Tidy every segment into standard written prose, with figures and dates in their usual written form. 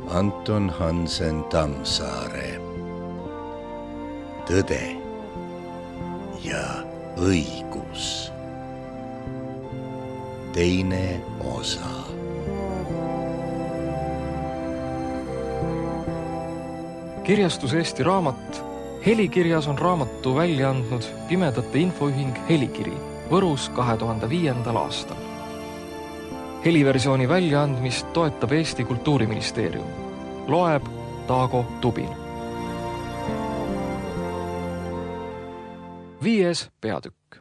Anton Hansen Tammsaare. Tõde ja õigus. Teine osa. Kirjastus Eesti Raamat. Helikirjas on raamatu välja andnud Pimedate Infoühing Helikiri Võrus 2005. aastal. Heliversiooni väljaandmist toetab Eesti Kultuuriministeerium. Loeb Taago Tubin. 5. peatükk.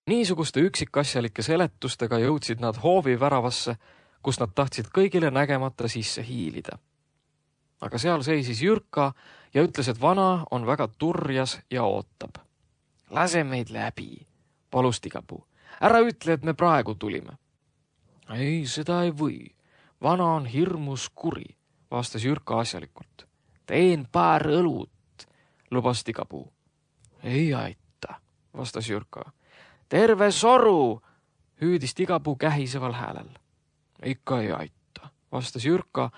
Niisuguste üksikasjalike seletustega jõudsid nad hoovi väravasse, kus nad tahtsid kõigile nägemata sisse hiilida. Aga seal seisis Jürka ja ütles, et vana on väga turjas ja ootab. Lase meid läbi, palus Tigapuu. Ära ütle, et me praegu tulime. Ei, seda ei või. Vana on hirmus kuri, vastas Jürka asjalikult. Teen paar õlut, lubas Tigapuu. Ei aita, vastas Jürka. Terve soru, hüüdis Tigapuu kähiseval häälel. Ikka ei aita, vastas Jürka.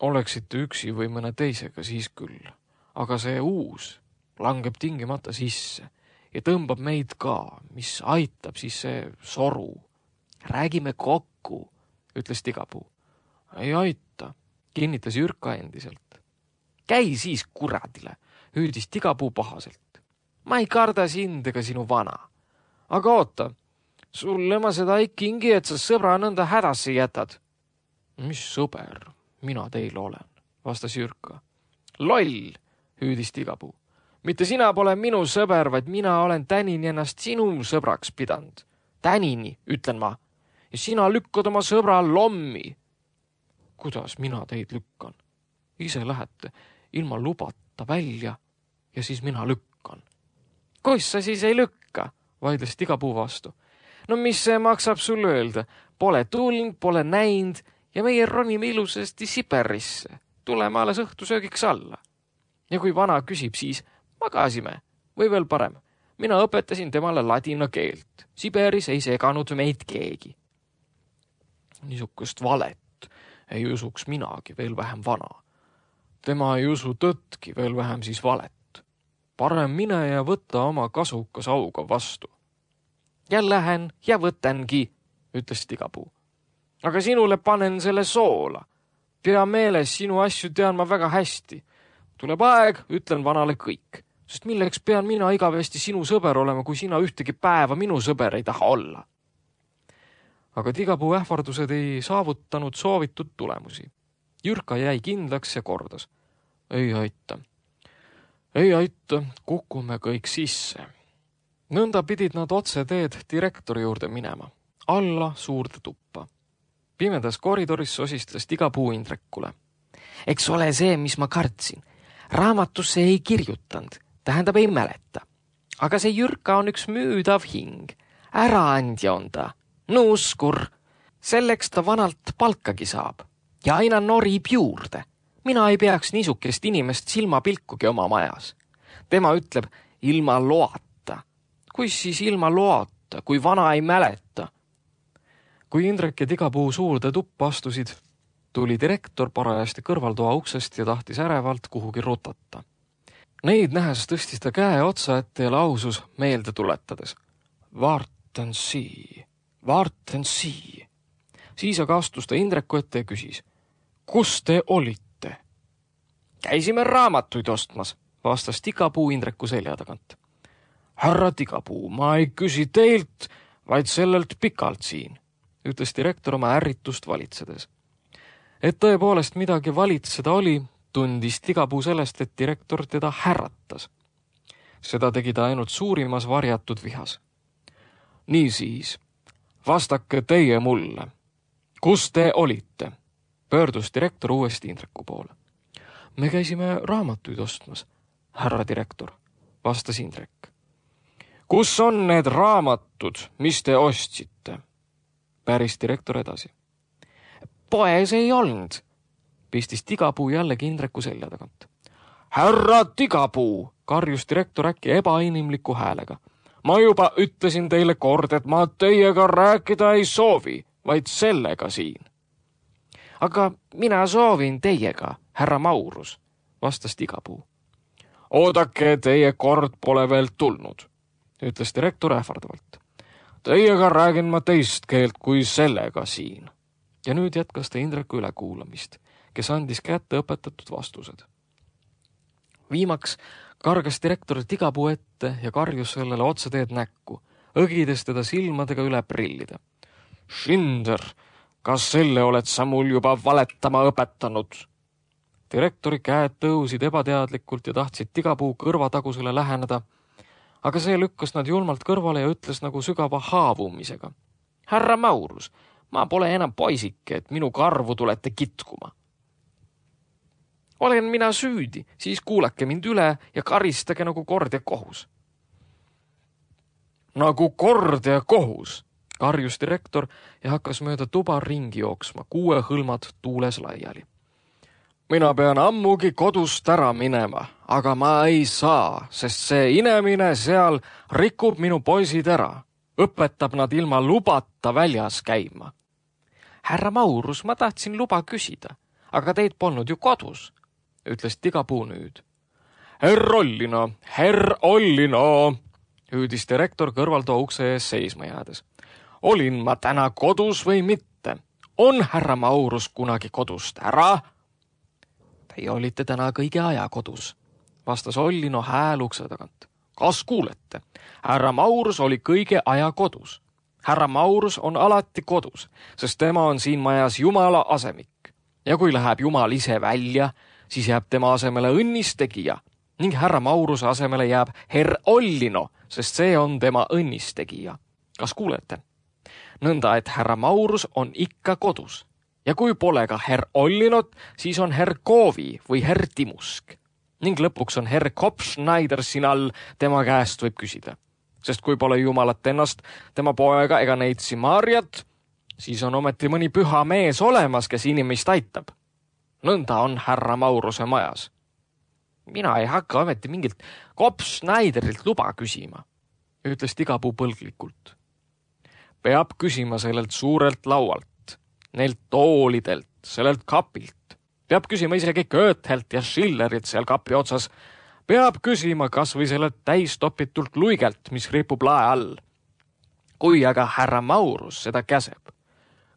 Oleksite üksi või mõne teisega siis küll, aga see uus langeb tingimata sisse ja tõmbab meid ka, mis aitab siis see soru. Räägime kokku, ütles Tigapuu. Ei aita, kinnitas Jürka endiselt. Käi siis kuradile, hüüdis Tigapuu pahaselt. Ma ei karda sind ega sinu vana. Aga oota, sulle ma seda ei kingi, et sa sõbra nõnda hädasse jätad. Mis sõber? Mina teil olen, vastas Jürka. Loll, hüüdis Tigapuu. Mitte sina pole minu sõber, vaid mina olen Tänini ennast sinu sõbraks pidanud. Tänini, ütlen ma. Ja sina lükkad oma sõbra lommi. Kuidas mina teid lükkan? Ise lähete ilma lubata välja ja siis mina lükkan. Kus sa siis ei lükka? Vaidles Tigapuu vastu. No mis see maksab sul öelda? Pole tulnud, pole näinud. Ja meie ronime ilusasti Siberisse. Tuleme alles õhtusöögiks alla. Ja kui vana küsib, siis magasime. Või veel parem. Mina õpetasin temale ladina keelt. Siberis ei seganud meid keegi. Niisugust valet ei usuks minagi, veel vähem vana. Tema ei usu tõttki, veel vähem siis valet. Parem mine ja võtta oma kasukas auga vastu. Ja lähen ja võtangi, ütles Tigapuu. Aga sinule panen selle soola. Pea meeles, sinu asju tean ma väga hästi. Tuleb aeg, ütlen vanale kõik. Sest milleks pean mina igavesti sinu sõber olema, kui sina ühtegi päeva minu sõber ei taha olla. Aga Tigapuu ähvardused ei saavutanud soovitud tulemusi. Jürka jäi kindlaks ja kordas. Ei aita. Ei aita, kukume kõik sisse. Nõnda pidid nad otse teed direktori juurde minema. Alla suurde tuppa. Pimedas koridoris sosistas Tigapuu Indrekule. Eks ole see, mis ma kartsin. Raamatusse ei kirjutanud, tähendab ei mäleta. Aga see Jürka on üks müüdav hing. Äraandja on ta. Nuuskur. Selleks ta vanalt palkagi saab. Ja aina norib juurde. Mina ei peaks niisukest inimest silmapilkugi oma majas. Tema ütleb ilma loata. Kuis siis ilma loata, kui vana ei mäleta? Kui Indrek ja Tigapuu suurde tuppa astusid, tuli direktor parajasti kõrvaltoa uksest ja tahtis ärevalt kuhugi rutata. Neid nähes tõstis ta käe otsa ette ja lausus meelde tuletades. Vaartan sii. Siis aga astus ta Indreku ette ja küsis. Kus te olite? Käisime raamatuid ostmas, vastas Tigapuu Indreku selja tagant. Härra Tigapuu, ma ei küsi teilt, vaid sellelt pikalt siin, ütles direktor oma ärritust valitsedes. Et tõepoolest midagi valitseda oli, tundis Tigapuu sellest, et direktor teda härratas. Seda tegi ta ainult suurimas varjatud vihas. Niisiis, vastake teie mulle. Kus te olite? Pöördus direktor uuesti Indreku poole. Me käisime raamatuid ostmas, härra direktor, vastas Indrek. Kus on need raamatud, mis te ostsite? Päris direktor edasi. Poes ei olnud, pistis Tigapuu jällegi Indreku selja tagant. Härra Tigapuu, karjus direktor äkki ebainimliku häälega. Ma juba ütlesin teile kord, et ma teiega rääkida ei soovi, vaid sellega siin. Aga mina soovin teiega, härra Maurus, vastas Tigapuu. Oodake, teie kord pole veel tulnud, ütles direktor ähvardavalt. Teiega räägin ma teist keelt kui sellega siin. Ja nüüd jätkas ta Indreku ülekuulamist, kes andis kätte õpetatud vastused. Viimaks kargas direktor Tigapuu ette ja karjus sellele otseteed näkku, õgides teda silmadega üle prillida. Schinder, kas selle oled sa mul juba valetama õpetanud? Direktori käed tõusid ebateadlikult ja tahtsid Tigapuu kõrvatagusele läheneda, aga see lükkas nad julmalt kõrvale ja ütles nagu sügava haavumisega. Härra Maurus, ma pole enam poisike, et minu karvu tulete kitkuma. Olen mina süüdi, siis kuulake mind üle ja karistage nagu kord ja kohus. Nagu kord ja kohus, karjus direktor ja hakkas mööda tuba ringi jooksma, 6 hõlmad tuules laiali. Mina pean ammugi kodust ära minema, aga ma ei saa, sest see inemine seal rikub minu poisid ära, õpetab nad ilma lubata väljas käima. Härra Maurus, ma tahtsin luba küsida, aga teid polnud ju kodus, ütles Tigapuu nüüd. Herr Ollino, hüüdis direktor kõrvaltoa ukse ees seisma jäädes. Olin ma täna kodus või mitte? On härra Maurus kunagi kodust ära? Teie olite täna kõige aja kodus, vastas Ollino hääl ukse tagant. Kas kuulete? Härra Maurus oli kõige aja kodus. Härra Maurus on alati kodus, sest tema on siin majas Jumala asemik. Ja kui läheb Jumal ise välja, siis jääb tema asemele õnnistegija ning härra Mauruse asemele jääb herr Ollino, sest see on tema õnnistegija. Kas kuulete? Nõnda, et härra Maurus on ikka kodus. Ja kui pole ka herr Ollinot, siis on herr Koovi või herr Timusk. Ning lõpuks on herr Kopschneider siin all, tema käest võib küsida. Sest kui pole Jumalat ennast, tema poega ega neid Simariat, siis on ometi mõni püha mees olemas, kes inimest aitab. Nõnda on härra Mauruse majas. Mina ei hakka ometi mingilt Kopschneiderilt luba küsima, ütles Tigapuu põlglikult. Peab küsima sellelt suurelt laualt. Neilt toolidelt, sellelt kapilt. Peab küsima isegi Goethelt ja Schillerit seal kapi otsas. Peab küsima kas või sellelt täistopitult luigelt, mis ripub lae all. Kui aga härra Maurus seda käseb.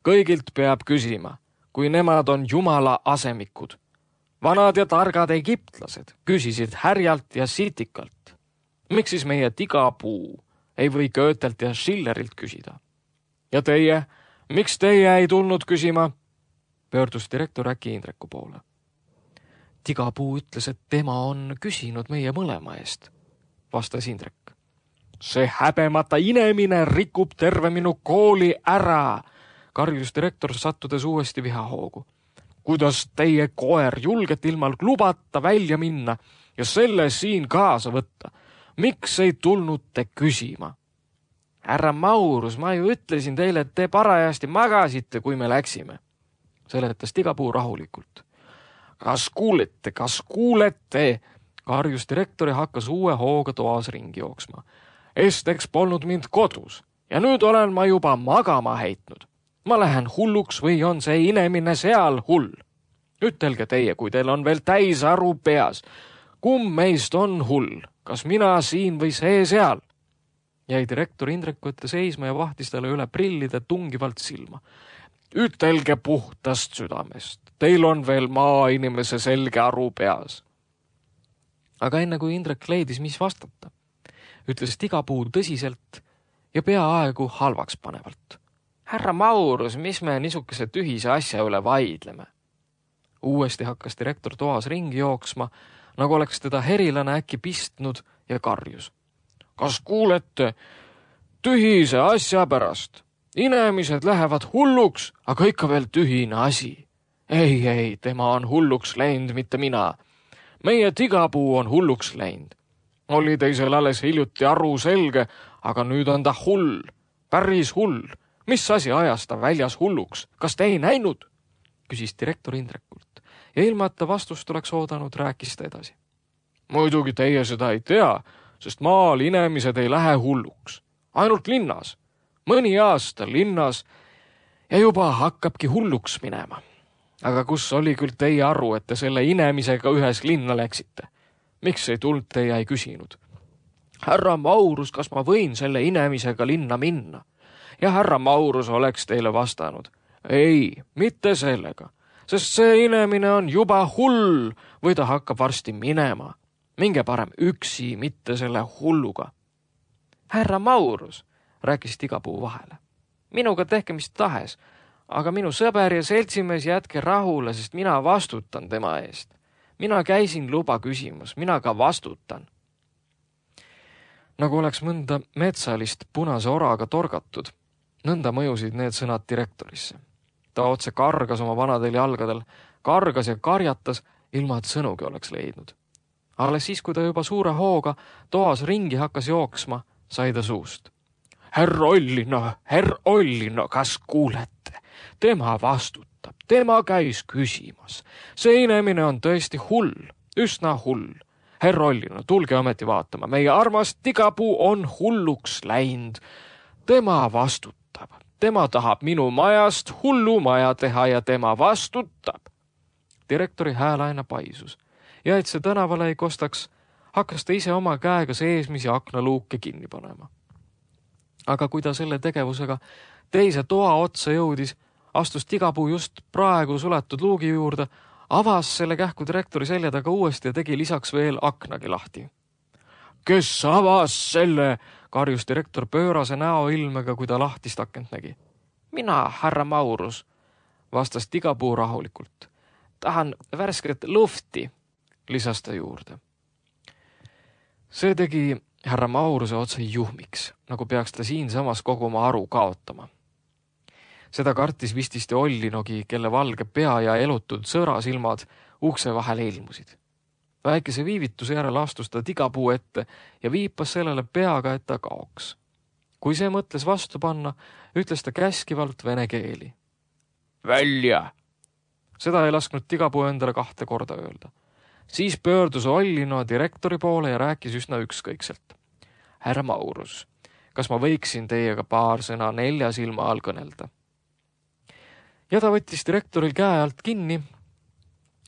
Kõigilt peab küsima, kui nemad on Jumala asemikud. Vanad ja targad egiptlased küsisid härjalt ja sitikalt. Miks siis meie Tigapuu ei või Goethelt ja Schillerilt küsida? Ja teie? Miks teie ei tulnud küsima? Pöördus direktor äkki Indreku poole. Tigapuu ütles, et tema on küsinud meie mõlema eest, vastas Indrek. See häbemata inemine rikub terve minu kooli ära, karjus direktor sattudes uuesti vihahoogu. Kuidas teie koer julget ilma lubata välja minna ja selle siin kaasa võtta? Miks ei tulnud te küsima? Härra Maurus, ma ju ütlesin teile, et te parajasti magasite, kui me läksime, seletas Tigapuu rahulikult. Kas kuulete, karjus direktor ja hakkas uue hooga toas ringi jooksma. Esteks polnud mind kodus ja nüüd olen ma juba magama heitnud. Ma lähen hulluks või on see inemine seal hull? Ütelge teie, kui teil on veel täis aru peas. Kumb meist on hull? Kas mina siin või see seal? Jäi direktor Indreku ette seisma ja vahtis talle üle prillide tungivalt silma. Ütelge puhtast südamest. Teil on veel maainimese selge aru peas. Aga enne kui Indrek leidis, mis vastata, ütles Tigapuu tõsiselt ja peaaegu halvaks panevalt. Härra Maurus, mis me niisuguse tühise asja üle vaidleme? Uuesti hakkas direktor toas ringi jooksma, nagu oleks teda herilane äkki pistnud ja karjus. Kas kuulete? Tühise asja pärast. Inimesed lähevad hulluks, aga ikka veel tühine asi. Ei, tema on hulluks läinud, mitte mina. Meie Tigapuu on hulluks läinud. Oli teisel alles hiljuti aru selge, aga nüüd on ta hull. Päris hull. Mis asi ajas ta väljas hulluks? Kas te ei näinud? Küsis direktor Indrekult ja ilma, et ta vastust oleks oodanud, rääkis ta edasi. Muidugi teie seda ei tea, sest maal inimesed ei lähe hulluks. Ainult linnas. Mõni aasta linnas ja juba hakkabki hulluks minema. Aga kus oli küll teie aru, et te selle inemisega ühes linna läksite? Miks ei tulnud te ja ei küsinud? Härra Maurus, kas ma võin selle inemisega linna minna? Ja härra Maurus oleks teile vastanud. Ei, mitte sellega, sest see inemine on juba hull või ta hakkab varsti minema. Minge parem üksi, mitte selle hulluga. Härra Maurus, rääkis Tigapuu vahele. Minuga tehke mis tahes, aga minu sõber ja seltsimees jätke rahule, sest mina vastutan tema eest. Mina käisin luba küsimas, mina ka vastutan. Nagu oleks mõnda metsalist punase oraga torgatud, nõnda mõjusid need sõnad direktorisse. Ta otse kargas oma vanadel jalgadel, kargas ja karjatas, ilma et sõnugi oleks leidnud. Alles siis, kui ta juba suure hooga toas ringi hakkas jooksma, sai ta suust. Herr Ollino, kas kuulete? Tema vastutab, tema käis küsimas. See inemine on tõesti hull, üsna hull. Herr Ollino, tulge ometi vaatama, meie armas Tigapuu on hulluks läinud. Tema vastutab, tema tahab minu majast hullu maja teha ja tema vastutab. Direktori hääl aina paisus ja et see tänavale ei kostaks, hakkas ta ise oma käega seesmisi aknaluuke kinni panema. Aga kui ta selle tegevusega teise toa otsa jõudis, astus Tigapuu just praegu suletud luugi juurde, avas selle kähku direktori selja taga uuesti ja tegi lisaks veel aknagi lahti. Kes avas selle? Karjus direktor pöörase näoilmega, kui ta lahtist akent nägi. Mina, härra Maurus, vastas Tigapuu rahulikult. Tahan värsket lufti, lisas ta juurde. See tegi härra Mauruse otse juhmiks, nagu peaks ta siinsamas kogu oma aru kaotama. Seda kartis vististi Ollinogi, kelle valge pea ja elutud sõrasilmad ukse vahele ilmusid. Väikese viivituse järel astus ta Tigapuu ette ja viipas sellele peaga, et ta kaoks. Kui see mõtles vastu panna, ütles ta käskivalt vene keeli. Välja! Seda ei lasknud Tigapuu endale 2 korda öelda. Siis pöördus Ollino direktori poole ja rääkis üsna ükskõikselt. Härra Maurus, kas ma võiksin teiega paar sõna 4 silma all kõnelda? Ja ta võttis direktoril käe alt kinni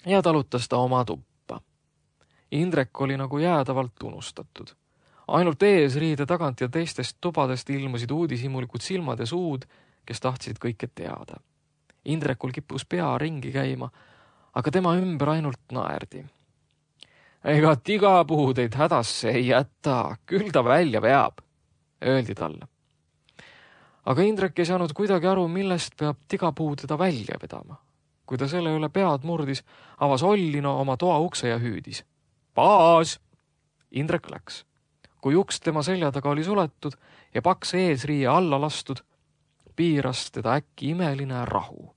ja talutas ta oma tuppa. Indrek oli nagu jäädavalt unustatud. Ainult eesriide tagant ja teistest tubadest ilmusid uudishimulikud silmad ja suud, kes tahtsid kõike teada. Indrekul kippus pea ringi käima, aga tema ümber ainult naerdi. Ega Tigapuu teid hädasse ei jäta, küll ta välja veab, öeldi talle. Aga Indrek ei saanud kuidagi aru, millest peab Tigapuu teda välja vedama. Kui ta selle üle pead murdis, avas Ollino oma toa ukse ja hüüdis. Paas! Indrek läks. Kui uks tema selja taga oli suletud ja paks eesriie alla lastud, piiras teda äkki imeline rahu.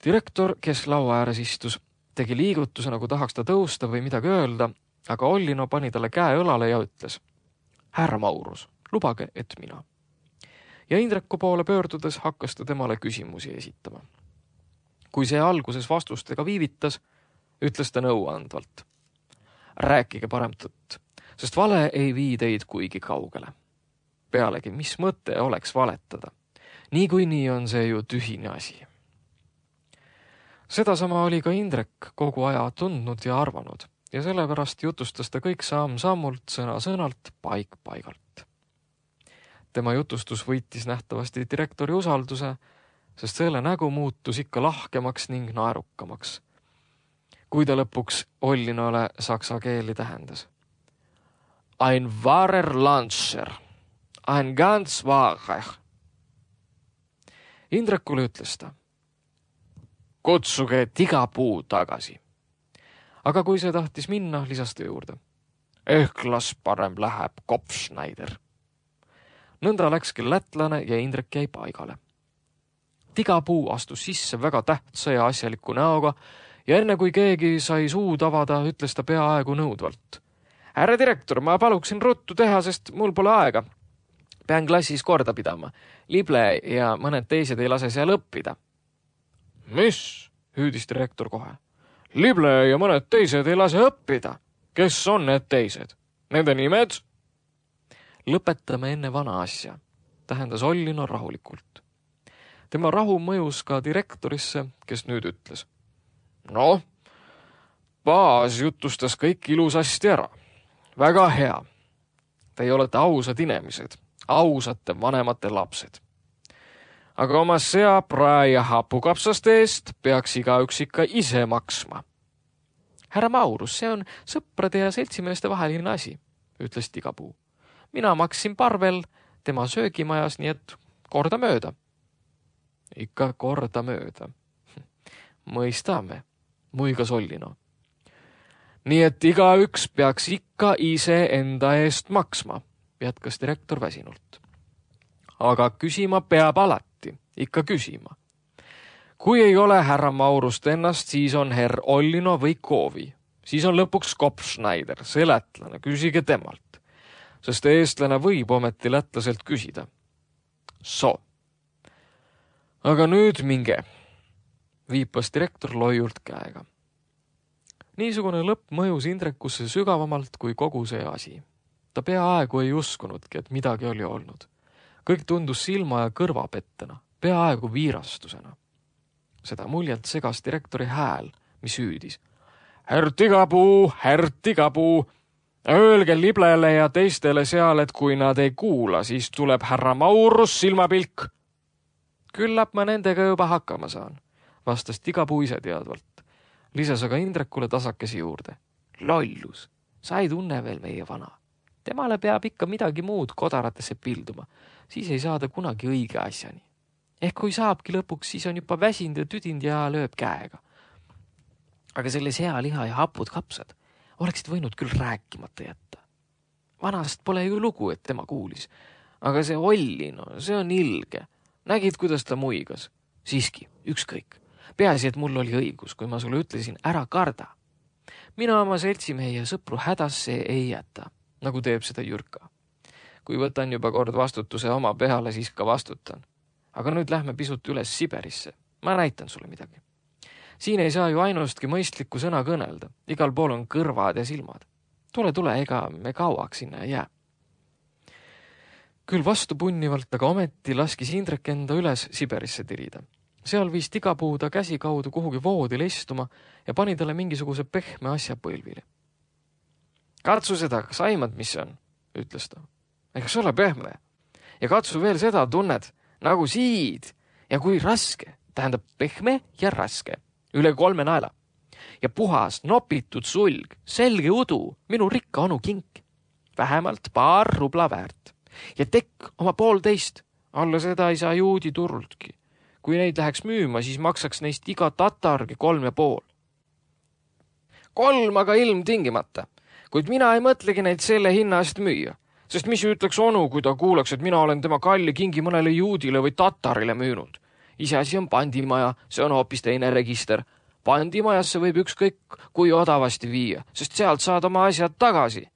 Direktor, kes laua ääres istus, tegi liigutuse, nagu tahaks ta tõusta või midagi öelda, aga Ollino pani talle käe õlale ja ütles. Härra Maurus, lubage, et mina. Ja Indreku poole pöördudes hakkas ta temale küsimusi esitama. Kui see alguses vastustega viivitas, ütles ta nõuandvalt. Rääkige parem tõtt, sest vale ei vii teid kuigi kaugele. Pealegi, mis mõte oleks valetada? Niikuinii on see ju tühine asi. Sedasama oli ka Indrek kogu aja tundnud ja arvanud ja sellepärast jutustas ta kõik samm-sammult, sõna-sõnalt, paik-paigalt. Tema jutustus võitis nähtavasti direktori usalduse, sest selle nägu muutus ikka lahkemaks ning naerukamaks. Kui ta lõpuks Ollinole saksa keeli tähendas. Ein wahrer Landscher, ein ganz wahrer. Indrekule ütles ta. Kutsuge Tigapuu tagasi. Aga kui see tahtis minna, lisas ta juurde. Las parem läheb Kopfschneider. Nõnda läkski lätlane ja Indrek jäi paigale. Tigapuu astus sisse väga tähtsa ja asjaliku näoga ja enne kui keegi sai suud avada, ütles ta peaaegu nõudvalt. Härra direktor, ma paluksin ruttu teha, sest mul pole aega. Pean klassis korda pidama. Lible ja mõned teised ei lase seal õppida. Mis? Hüüdis direktor kohe. Lible ja mõned teised ei lase õppida. Kes on need teised? Nende nimed? Lõpetame enne vana asja, tähendas Ollino rahulikult. Tema rahu mõjus ka direktorisse, kes nüüd ütles. Noh, baas jutustas kõik ilusasti ära. Väga hea. Teie olete ausad inimesed, ausate vanemate lapsed. Aga oma sea, prae ja hapukapsaste eest peaks igaüks ikka ise maksma. Härra Maurus, see on sõprade ja seltsimeeste vaheline asi, ütles Tigapuu. Mina maksin Parvel tema söögimajas, nii et korda mööda. Ikka korda mööda. Mõistame, muigas Ollino. Nii et igaüks peaks ikka ise enda eest maksma, jätkas direktor väsinult. Aga küsima peab alati, ikka küsima. Kui ei ole härra Maurust ennast, siis on herr Ollino või Koovi. Siis on lõpuks Kopfschneider, see lätlane, küsige temalt. Sest eestlane võib ometi lätlaselt küsida. So. Aga nüüd minge, viipas direktor loiult käega. Niisugune lõpp mõjus Indrekusse sügavamalt kui kogu see asi. Ta peaaegu ei uskunudki, et midagi oli olnud. Kõik tundus silma ja kõrvapettena, peaaegu viirastusena. Seda muljelt segas direktori hääl, mis hüüdis. Herr Tigapuu, öelge liblele ja teistele seal, et kui nad ei kuula, siis tuleb härra Maurus silmapilk. Küllap ma nendega juba hakkama saan, vastas Tigapuu ise teadvalt. Lisas aga Indrekule tasakesi juurde. Lollus, sa ei tunne veel meie vana. Temale peab ikka midagi muud kodaratesse pilduma, siis ei saada kunagi õige asjani. Ehk kui saabki lõpuks, siis on juba väsind ja tüdind ja lööb käega. Aga selle sealiha ja hapud kapsad oleksid võinud küll rääkimata jätta. Vanast pole ju lugu, et tema kuulis. Aga see Ollino, see on ilge. Nägid, kuidas ta muigas? Siiski, ükskõik. Peaasi, et mul oli õigus, kui ma sulle ütlesin, ära karda. Mina oma seltsimehi ja sõpru hädasse ei jäta, nagu teeb seda Jürka. Kui võtan juba kord vastutuse oma peale, siis ka vastutan. Aga nüüd lähme pisut üles Siberisse. Ma näitan sulle midagi. Siin ei saa ju ainustki mõistlikku sõna kõnelda. Igal pool on kõrvad ja silmad. Tule, ega me kauaks sinna ei jää. Küll vastu punnivalt, aga ometi laskis Indrek enda üles Siberisse tirida. Seal viis Tigapuu ta käsi kaudu kuhugi voodile istuma ja pani talle mingisuguse pehme asja põlvile. Katsu seda, kas aimad, mis see on, ütles ta. Ega see ole pehme. Ja katsu veel seda tunned, nagu siid. Ja kui raske, tähendab pehme ja raske. Üle 3 naela. Ja puhas, nopitud sulg, selge udu, minu rikka onu kink. Vähemalt paar rubla väärt. Ja tekk oma 1,5. Alla seda ei saa juudi turultki. Kui neid läheks müüma, siis maksaks neist iga tatargi 3,5. 3 aga ilmtingimata. Kuid mina ei mõtlegi neid selle hinna eest müüa. Sest mis ütleks onu, kui ta kuuleks, et mina olen tema kalli kingi mõnele juudile või tatarile müünud. Iseasi on pandimaja, see on hoopis teine register. Pandimajasse võib ükskõik kui odavasti viia, sest sealt saad oma asjad tagasi.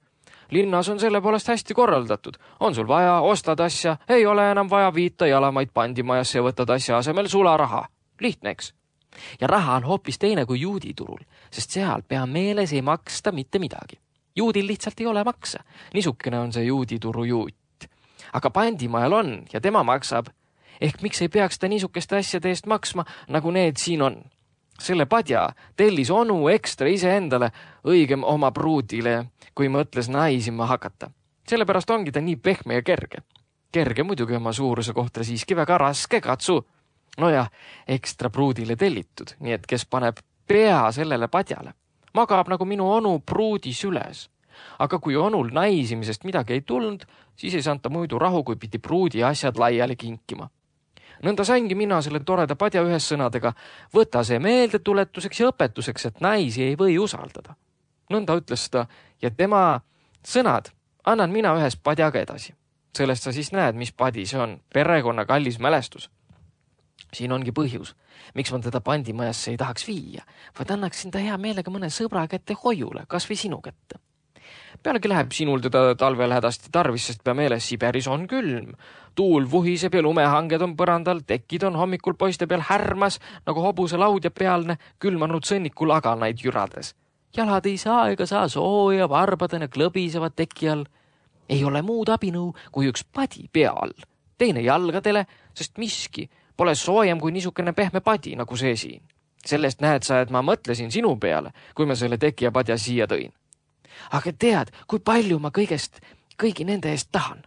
Linnas on selle poolest hästi korraldatud. On sul vaja, ostad asja, ei ole enam vaja viita jalamaid pandimajasse ja võtad asja asemel sularaha. Lihtne, eks? Ja raha on hoopis teine kui juuditurul, sest seal pea meeles ei maksta mitte midagi. Juudil lihtsalt ei ole maksa. Niisukene on see juudituru juut. Aga pandimajal on ja tema maksab. Ehk miks ei peaks ta niisukeste asjade eest maksma, nagu need siin on? Selle padja tellis onu ekstra iseendale, õigem oma pruudile, kui mõtles naisima hakata. Sellepärast ongi ta nii pehme ja kerge. Kerge muidugi oma suuruse kohta siiski väga raske, katsu. Nojah, ekstra pruudile tellitud, nii et kes paneb pea sellele padjale. Magab nagu minu onu pruudi süles. Aga kui onul naisimisest midagi ei tulnud, siis ei saanta muidu rahu, kui pidi pruudi asjad laiali kinkima. Nõnda saingi mina selle toreda padja ühes sõnadega, võta see meeldetuletuseks ja õpetuseks, et naisi ei või usaldada. Nõnda ütles ta ja tema sõnad annan mina ühes padjaga edasi. Sellest sa siis näed, mis padi see on, perekonna kallis mälestus. Siin ongi põhjus, miks ma teda pandimajasse ei tahaks viia, vaid annaksin ta hea meelega mõne sõbra kätte hoiule, kas või sinu kätte. Pealegi läheb sinul teda talvel hädasti tarvis, sest pea meeles Siberis on külm. Tuul vuhiseb ja lumehanged on põrandal, tekid on hommikul poiste peal härmas, nagu hobuse laudja pealne, külmanud sõnnikul aganaid jürades. Jalad ei saa ega saa sooja, varbadena klõbisevad teki all. Ei ole muud abinõu kui üks padi pea all, teine jalgadele, sest miski Pole soojem kui niisugune pehme padi nagu see siin. Sellest näed sa, et ma mõtlesin sinu peale, kui ma selle teki ja padja siia tõin. Aga tead, kui palju ma kõigi nende eest tahan?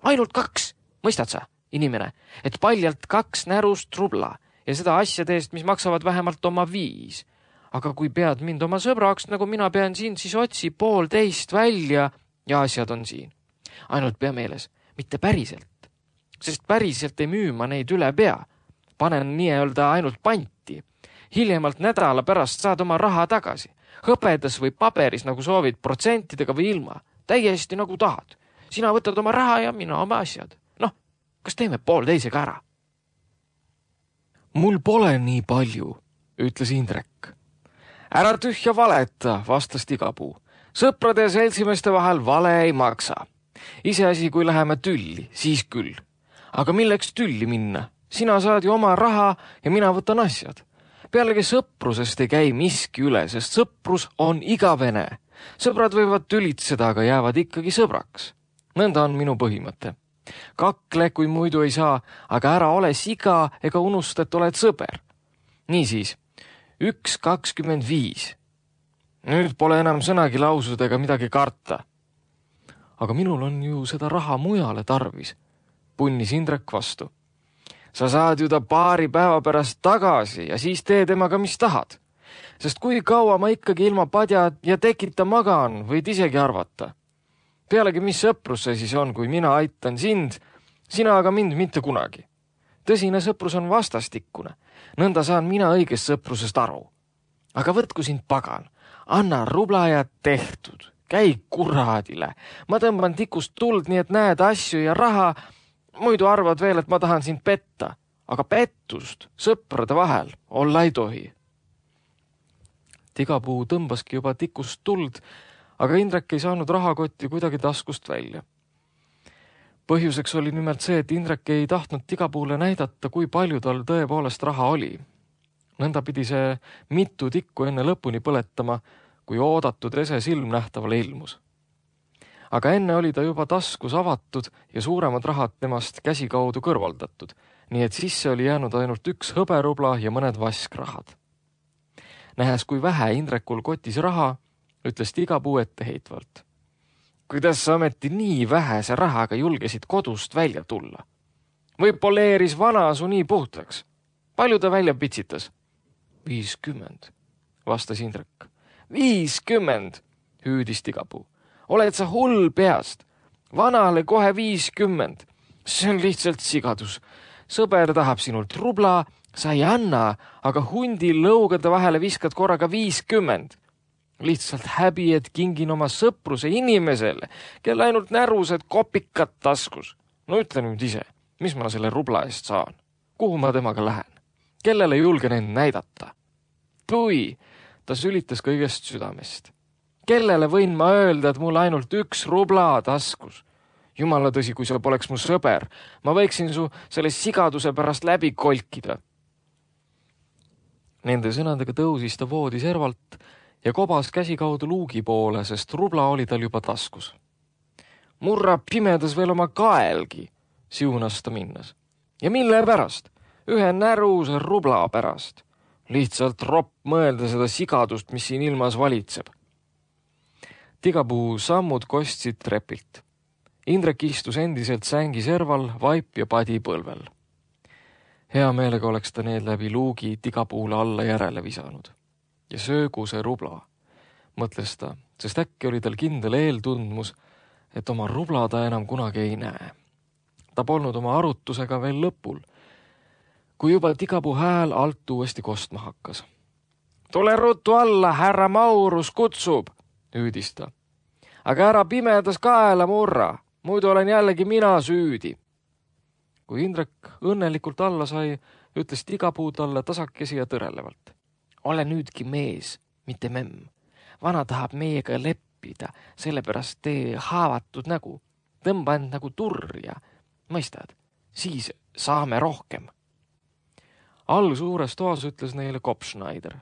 Ainult 2, mõistad sa, inimene, et paljalt 2 närust rubla ja seda asjade eest, mis maksavad vähemalt oma 5. Aga kui pead mind oma sõbraks, nagu mina pean sind, siis otsi 1,5 välja ja asjad on siin. Ainult pea meeles, mitte päriselt, sest päriselt ei müü ma neid üle pea. Panen nii-öelda ainult panti. Hiljemalt nädala pärast saad oma raha tagasi. Hõpedas või paberis, nagu soovid, protsentidega või ilma. Täiesti nagu tahad. Sina võtad oma raha ja mina oma asjad. Noh, kas teeme 1,5 ära? Mul pole nii palju, ütles Indrek. Ära tühja valeta, vastas Tigapuu. Sõprade ja seltsimeeste vahel vale ei maksa. Iseasi, kui läheme tülli, siis küll. Aga milleks tülli minna? Sina saad ju oma raha ja mina võtan asjad. Pealegi sõprusest ei käi miski üle, sest sõprus on igavene. Sõbrad võivad tülitseda, aga jäävad ikkagi sõbraks. Nõnda on minu põhimõte. Kakle, kui muidu ei saa, aga ära ole siga ega unusta, et oled sõber. Niisiis, 1,25. Nüüd pole enam sõnagi lausud ega midagi karta. Aga minul on ju seda raha mujale tarvis, punnis Indrek vastu. Sa saad ju ta 2 päeva pärast tagasi ja siis tee temaga, mis tahad. Sest kui kaua ma ikkagi ilma padja ja tekita magan, võid isegi arvata. Pealegi, mis sõprus see siis on, kui mina aitan sind, sina aga mind mitte kunagi. Tõsine sõprus on vastastikkune. Nõnda saan mina õigest sõprusest aru. Aga võtku sind pagan, anna rubla ja tehtud. Käi kuradile. Ma tõmban tikust tuld, nii et näed asju ja raha. Muidu arvad veel, et ma tahan sind petta. Aga pettust sõprade vahel olla ei tohi. Tigapuu tõmbaski juba tikust tuld, aga Indrek ei saanud rahakotti kuidagi taskust välja. Põhjuseks oli nimelt see, et Indrek ei tahtnud Tigapuule näidata, kui palju tal tõepoolest raha oli. Nõnda pidi see mitu tikku enne lõpuni põletama, kui oodatud ese silmnähtavale ilmus. Aga enne oli ta juba taskus avatud ja suuremad rahad temast käsikaudu kõrvaldatud, nii et sisse oli jäänud ainult 1 hõberubla ja mõned vaskrahad. Nähes, kui vähe Indrekul kotis raha, ütles Tigapuu etteheitvalt. Kuidas sa ometi nii vähese rahaga julgesid kodust välja tulla? Või poleeris vana su nii puhtaks? Palju ta välja pitsitas? 50, vastas Indrek. 50, hüüdis Tigapuu. Oled sa hull peast? Vanale kohe 50. See on lihtsalt sigadus. Sõber tahab sinult rubla, sa ei anna, aga hundi lõugade vahele viskad korraga 50. Lihtsalt häbi, et kingin oma sõpruse inimesele, kel ainult närused kopikad taskus. No ütle nüüd ise, mis ma selle rubla eest saan? Kuhu ma temaga lähen? Kellele julgen end näidata? Pui, ta sülitas kõigest südamest. Kellele võin ma öelda, et mul ainult 1 rubla taskus? Jumala tõsi, kui sa poleks mu sõber, ma võiksin su selle sigaduse pärast läbi kolkida. Nende sõnadega tõusis ta voodi servalt ja kobas käsikaudu luugi poole, sest rubla oli tal juba taskus. Murra pimedas veel oma kaelgi, siunas ta minnes. Ja mille pärast? Ühe näruse rubla pärast. Lihtsalt ropp mõelda seda sigadust, mis siin ilmas valitseb. Tigapuu sammud kostsid trepilt. Indrek istus endiselt sängi serval, vaip ja padi põlvel. Hea meelega oleks ta need läbi luugi Tigapuule alla järele visanud. Ja söögu see rubla, mõtles ta, sest äkki oli tal kindel eeltundmus, et oma rubla ta enam kunagi ei näe. Ta polnud oma arutusega veel lõpul, kui juba Tigapuu hääl alt uuesti kostma hakkas. Tule ruttu alla, härra Maurus kutsub, hüüdis ta. Aga ära pimedas kaela murra, muidu olen jällegi mina süüdi. Kui Indrek õnnelikult alla sai, ütles Tigapuu talle tasakesi ja tõrelevalt. Ole nüüdki mees, mitte memm. Vana tahab meiega leppida, sellepärast tee haavatud nägu. Tõmba end nagu turja. Mõistad, siis saame rohkem. All suures toas ütles neile Kopschneider.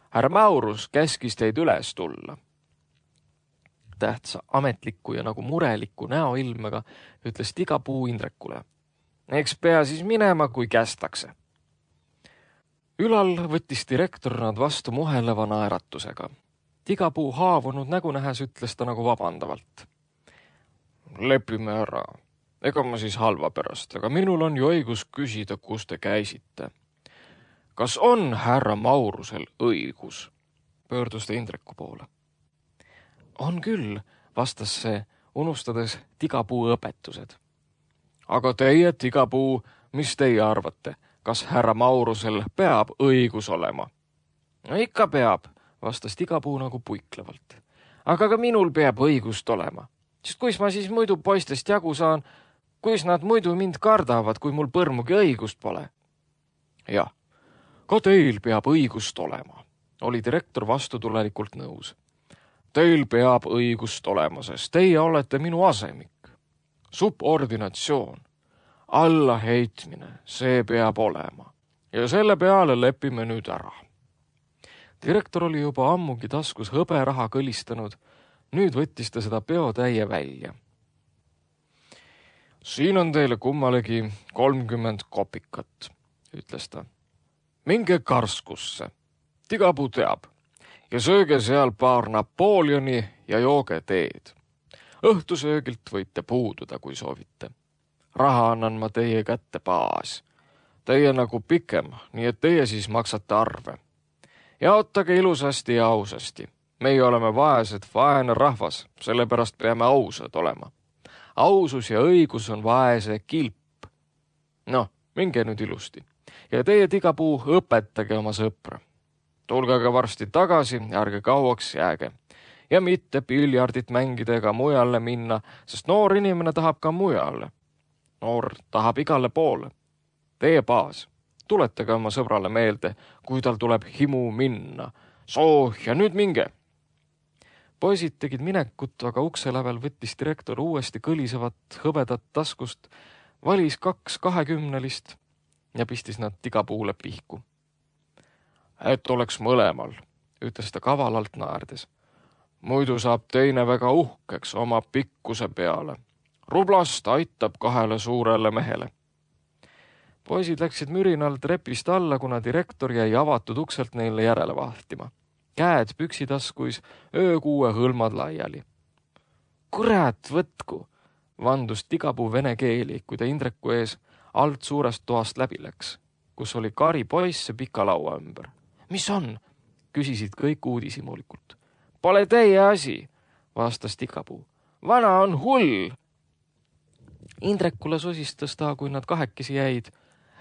Härra Maurus käskis teid üles tulla. Tähtsa ametliku ja nagu mureliku näoilmega ütles Tigapuu Indrekule. Eks pea siis minema, kui kästakse. Ülal võttis direktor nad vastu muheleva naeratusega. Tigapuu haavunud nägu nähes ütles ta nagu vabandavalt. Lepime ära. Ega ma siis halva pärast, aga minul on ju õigus küsida, kus te käisite. Kas on härra Maurusel õigus? Pöördus ta Indreku poole. On küll, vastas see, unustades Tigapuu õpetused. Aga teie, Tigapuu, mis teie arvate? Kas härra Maurusel peab õigus olema? No ikka peab, vastas Tigapuu nagu puiklevalt. Aga ka minul peab õigust olema. Sest kuis ma siis muidu poistest jagu saan, kuis nad muidu mind kardavad, kui mul põrmugi õigust pole? Jah, ka teil peab õigust olema, oli direktor vastutulelikult nõus. Teil peab õigust olema, sest teie olete minu asemik. Subordinatsioon. Allaheitmine, see peab olema. Ja selle peale lepime nüüd ära. Direktor oli juba ammugi taskus hõberaha kõlistanud, nüüd võttis ta seda peotäie välja. Siin on teile kummalegi 30 kopikat, ütles ta. Minge Karskusse, Tigapuu teab, ja sööge seal paar Napoleoni ja jooge teed. Õhtusöögilt võite puududa, kui soovite. Raha annan ma teie kätte baas. Teie nagu pikem, nii et teie siis maksate arve. Jaotage ilusasti ja ausasti. Meie oleme vaesed, vaene rahvas, sellepärast peame ausad olema. Ausus ja õigus on vaese kilp. No, minge nüüd ilusti. Ja teie, Tigapuu, õpetage oma sõpra. Tulge ka varsti tagasi, ärge kauaks jääge. Ja mitte piljardit mängida ega mujale minna, sest noor inimene tahab ka mujale. Noor tahab igale poole. Teie baas, tuletage oma sõbrale meelde, kui tal tuleb himu minna. Soo, ja nüüd minge. Poisid tegid minekut, aga ukse lävel võttis direktor uuesti kõlisevat hõbedat taskust, valis 2 20 ja pistis nad Tigapuule pihku. Et oleks mõlemal, ütles ta kavalalt naerdes. Muidu saab teine väga uhkeks oma pikkuse peale. Rublast aitab 2 suurele mehele. Poisid läksid mürinal trepist alla, kuna direktor jäi avatud ukselt neile järele vahtima. Käed püksitaskuis, öökuue hõlmad laiali. Kurat, võtku, vandus Tigapuu vene keeli, kui ta Indreku ees alt suurest toast läbi läks, kus oli kari poisse pika laua ümber. Mis on? Küsisid kõik uudishimulikult. Pole teie asi, vastas Tigapuu. Vana on hull. Indrekule sosistas ta, kui nad kahekesi jäid.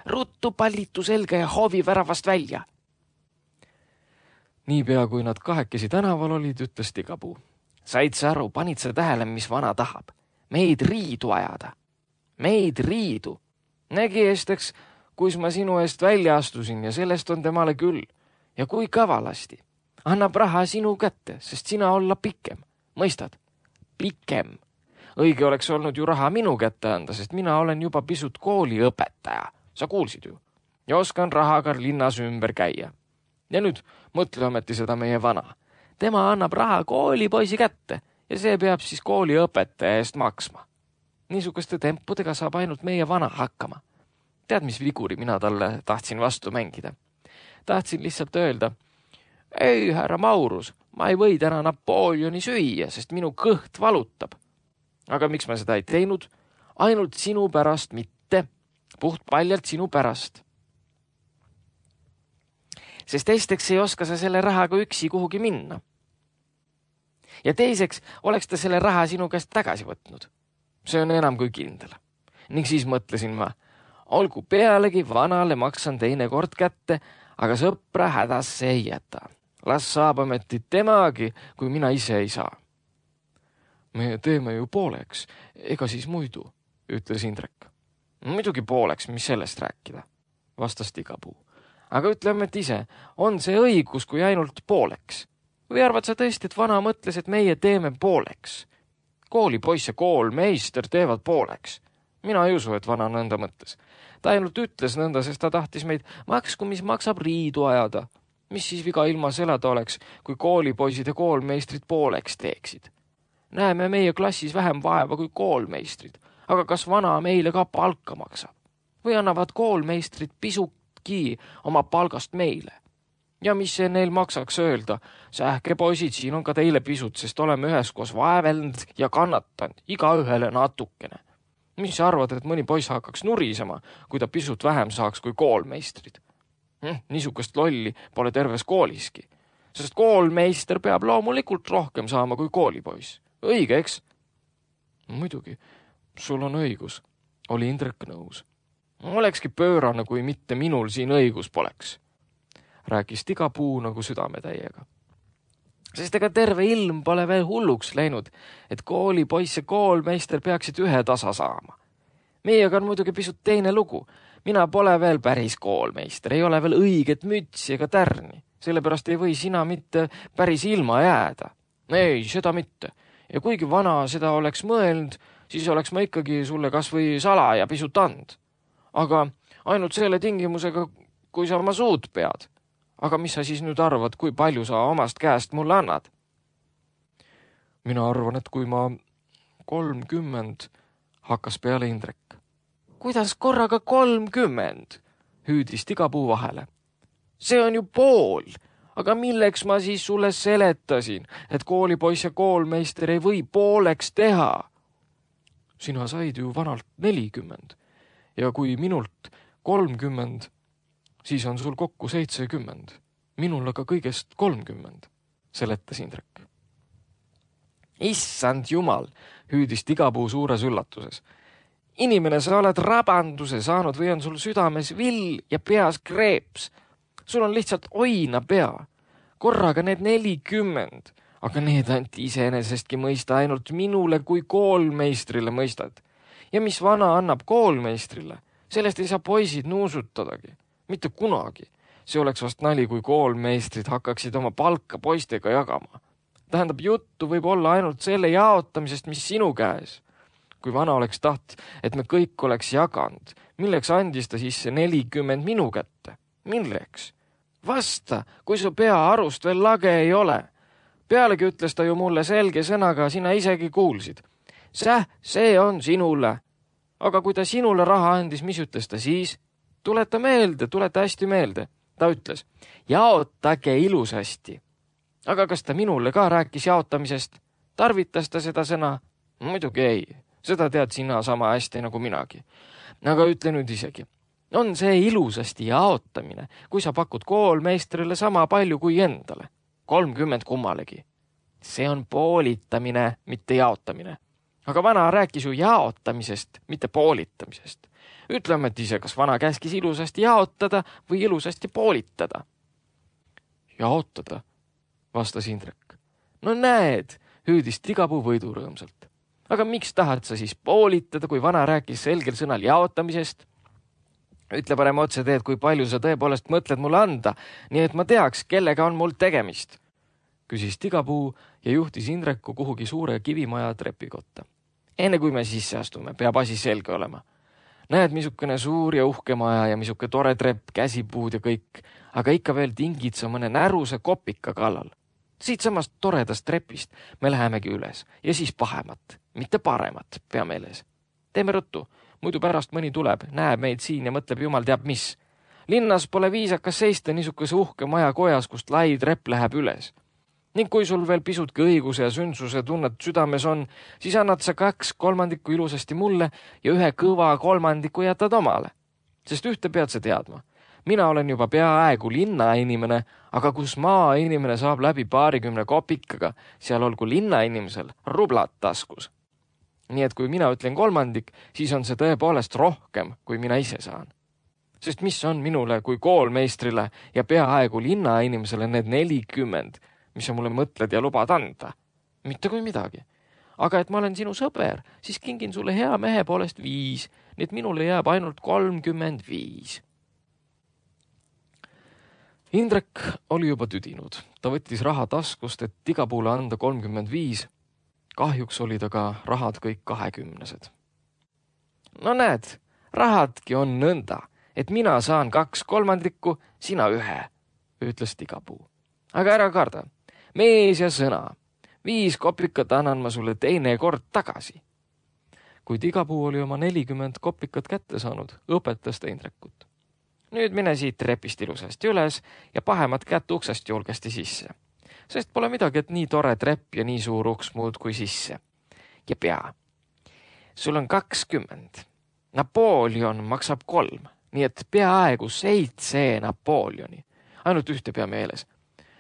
Ruttu pallitu selga ja hoovi väravast välja. Niipea, kui nad kahekesi tänaval olid, ütles Tigapuu. Said sa aru, panid sa tähele, mis vana tahab? Meid riidu ajada. Meid riidu. Nägi esteks, kus ma sinu eest välja astusin ja sellest on temale küll. Ja kui kavalasti. Annab raha sinu kätte, sest sina olla pikem. Mõistad? Pikem. Õige oleks olnud ju raha minu kätte anda, sest mina olen juba pisut kooliõpetaja. Sa kuulsid ju. Ja oskan rahaga linnas ümber käia. Ja nüüd mõtle ometi seda meie vana. Tema annab raha koolipoisi kätte ja see peab siis kooliõpetaja eest maksma. Niisuguste tempudega saab ainult meie vana hakkama. Tead, mis viguri mina talle tahtsin vastu mängida? Tahtsin lihtsalt öelda, ei, härra Maurus, ma ei või täna Napoleoni süüa, sest minu kõht valutab. Aga miks ma seda ei teinud? Ainult sinu pärast mitte. Puht paljalt sinu pärast. Sest esiteks ei oska sa selle rahaga üksi kuhugi minna. Ja teiseks oleks ta selle raha sinu käest tagasi võtnud. See on enam kui kindel. Ning siis mõtlesin ma, olgu pealegi vanale maksan teine kord kätte, aga sõpra hädasse ei jäta. Las saab ometi temagi, kui mina ise ei saa. Me teeme ju pooleks, ega siis muidu, ütles Indrek. Muidugi pooleks, mis sellest rääkida, vastas Tigapuu. Aga ütleme, et ise, on see õigus kui ainult pooleks? Või arvad sa tõesti, et vana mõtles, et meie teeme pooleks? Koolipoiss ja koolmeister teevad pooleks. Mina ei usu, et vana nõnda mõtles. Ta ainult ütles nõnda, sest ta tahtis meid maksku, mis maksab riidu ajada. Mis siis viga ilma selada oleks, kui koolipoisid ja koolmeistrid pooleks teeksid? Näeme meie klassis vähem vaeva kui koolmeistrid, aga kas vana meile ka palka maksab? või annavad koolmeistrid pisutki oma palgast meile. Ja mis see neil maksaks öelda? Sähke poisid, siin on ka teile pisut, sest oleme üheskoos vaevelnud ja kannatanud, igaühele natukene. Mis sa arvad, et mõni poiss hakkaks nurisema, kui ta pisut vähem saaks kui koolmeistrid? Niisugust lolli pole terves kooliski, sest koolmeister peab loomulikult rohkem saama kui koolipoiss. Õige, eks? Muidugi, sul on õigus, oli Indrek nõus. Olekski pöörane, kui mitte minul siin õigus poleks, rääkis Tigapuu nagu südametäiega. Sest ega terve ilm pole veel hulluks läinud, et koolipoiss ja koolmeister peaksid ühe tasa saama. Meiega on muidugi pisut teine lugu. Mina pole veel päris koolmeister, ei ole veel õiget mütsi ega tärni. Sellepärast ei või sina mitte päris ilma jääda. Ei, seda mitte. Ja kuigi vana seda oleks mõelnud, siis oleks ma ikkagi sulle kas või salaja pisut and. Aga ainult selle tingimusega, kui sa oma suud pead. Aga mis sa siis nüüd arvad, kui palju sa omast käest mulle annad? Mina arvan, et kui ma 30, hakkas peale Indrek. Kuidas korraga 30? Hüüdis Tigapuu vahele. See on ju pool, aga milleks ma siis sulle seletasin, et koolipoiss ja koolmeister ei või pooleks teha? Sina said ju vanalt 40 ja kui minult 30, siis on sul kokku 70. Minul aga kõigest 30, seletas Indrek. Issand jumal, hüüdis Tigapuu suures üllatuses. Inimene, sa oled rabanduse saanud või on sul südames vill ja peas kreeps. Sul on lihtsalt oina pea. Korraga need 40, aga need anti iseenesestki mõista ainult minule kui koolmeistrile mõistad. Ja mis vana annab koolmeistrile? Sellest ei saa poisid nuusutadagi. Mitte kunagi. See oleks vast nali, kui koolmeistrid hakkaksid oma palka poistega jagama. Tähendab, juttu võib olla ainult selle jaotamisest, mis sinu käes. Kui vana oleks taht, et me kõik oleks jaganud, milleks andis ta siis see 40 minu kätte? Milleks? Vasta, kui su pea arust veel lage ei ole. Pealegi ütles ta ju mulle selge sõnaga, sina isegi kuulsid. See on sinule. Aga kui ta sinule raha andis, mis ütles ta siis? Tuleta hästi meelde. Ta ütles, jaotage ilusasti. Aga kas ta minule ka rääkis jaotamisest? Tarvitas ta seda sõna? Muidugi ei. Seda tead sina sama hästi nagu minagi. Aga ütle nüüd isegi. On see ilusasti jaotamine, kui sa pakud koolmeistrile sama palju kui endale? 30 kummalegi. See on poolitamine, mitte jaotamine. Aga vana rääkis ju jaotamisest, mitte poolitamisest. Ütleme, et ise, kas vana käskis ilusasti jaotada või ilusasti poolitada? Jaotada, vastas Indrek. No näed, hüüdis Tigapuu võidurõõmsalt. Aga miks tahad sa siis poolitada, kui vana rääkis selgel sõnal jaotamisest? Ütle parem otse teed, kui palju sa tõepoolest mõtled mulle anda, nii et ma teaks, kellega on mul tegemist. Küsis Tigapuu ja juhtis Indreku kuhugi suure kivimaja trepikotta. Enne kui me sisse astume, peab asi selge olema. Näed, missugune suur ja uhke maja ja missuke tore trepp, käsipuud ja kõik, aga ikka veel tingid sa mõne näruse kopika kallal. Siit samast toredast trepist me lähemegi üles ja siis pahemat, mitte paremat, pea meeles. Teeme ruttu, muidu pärast mõni tuleb, näeb meid siin ja mõtleb jumal teab mis. Linnas pole viisakas seista niisuguse uhke maja kojas, kust lai trepp läheb üles. Ning kui sul veel pisutki õiguse ja sündsuse tunnet südames on, siis annad sa 2/3 ilusasti mulle ja 1 kõva 3 jätad omale. Sest ühte pead sa teadma. Mina olen juba peaaegu linnainimene, aga kus maainimene saab läbi 20 kopikaga, seal olgu linnainimesel rublad taskus. Nii et kui mina ütlen 3, siis on see tõepoolest rohkem, kui mina ise saan. Sest mis on minule kui koolmeistrile ja peaaegu linnainimesele need 40, mis sa mulle mõtled ja lubad anda? Mitte kui midagi. Aga et ma olen sinu sõber, siis kingin sulle hea mehe poolest 5, nii et minule jääb ainult 35. Indrek oli juba tüdinud. Ta võttis raha taskust, et Tigapuule anda 35. Kahjuks oli ta ka rahad kõik 20. No näed, rahadki on nõnda, et mina saan 2/3, sina 1, ütles Tigapuu. Aga ära karda. Mees ja sõna. 5 kopikat annan ma sulle teine kord tagasi. kui Tigapuu oli oma 40 kopikat kätte saanud, õpetas ta Indrekut. Nüüd mine siit trepist ilusasti üles ja pahemat kätt uksest julgesti sisse. Sest pole midagi, et nii tore trepp ja nii suur uks muud kui sisse. Ja pea. Sul on 20. Napoleon maksab 3, nii et peaaegu 7 Napoleoni. Ainult ühte pea meeles.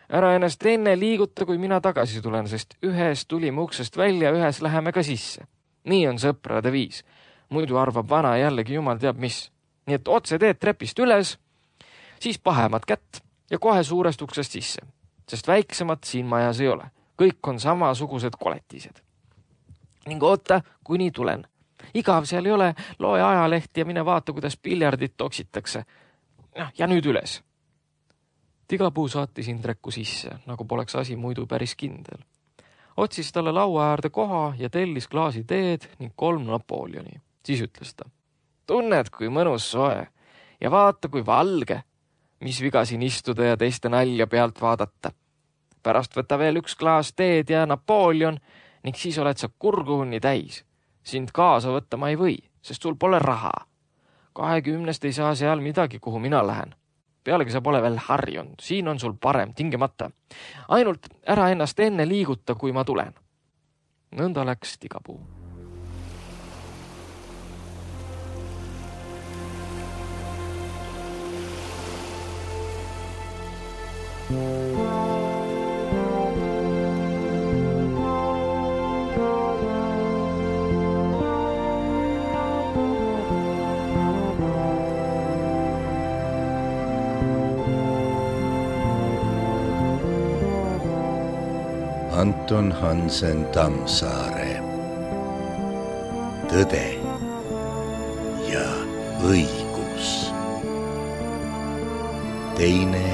Ära ennast enne liiguta, kui mina tagasi tulen, sest ühes tulime uksest välja, ühes läheme ka sisse. Nii on sõprade viis. Muidu arvab vana jällegi jumal teab mis. Nii et otse teed trepist üles, siis pahemat kätt ja kohe suurest uksest sisse, sest väiksemat siin majas ei ole. Kõik on samasugused koletised. Ning oota, kuni tulen. Igav seal ei ole, loe ajalehti ja mine vaata, kuidas piljardit toksitakse. Ja nüüd üles. Tigapuu saatis Indreku sisse, nagu poleks asi muidu päris kindel. Otsis talle laua äärde koha ja tellis klaasi teed ning 3 Napoleoni. Siis ütles ta. Tunned, kui mõnus soe ja vaata, kui valge, mis viga siin istuda ja teiste nalja pealt vaadata. Pärast võta veel 1 klaas teed ja Napoleon ning siis oled sa kurguhunni täis. Sind kaasa võtta ma ei või, sest sul pole raha. 20 ei saa seal midagi, kuhu mina lähen. Pealegi sa pole veel harjunud, siin on sul parem, tingimata. Ainult ära ennast enne liiguta, kui ma tulen. Nõnda läks Tigapuu. Anton Hansen Tammsaare. Tõde ja õigus. Teine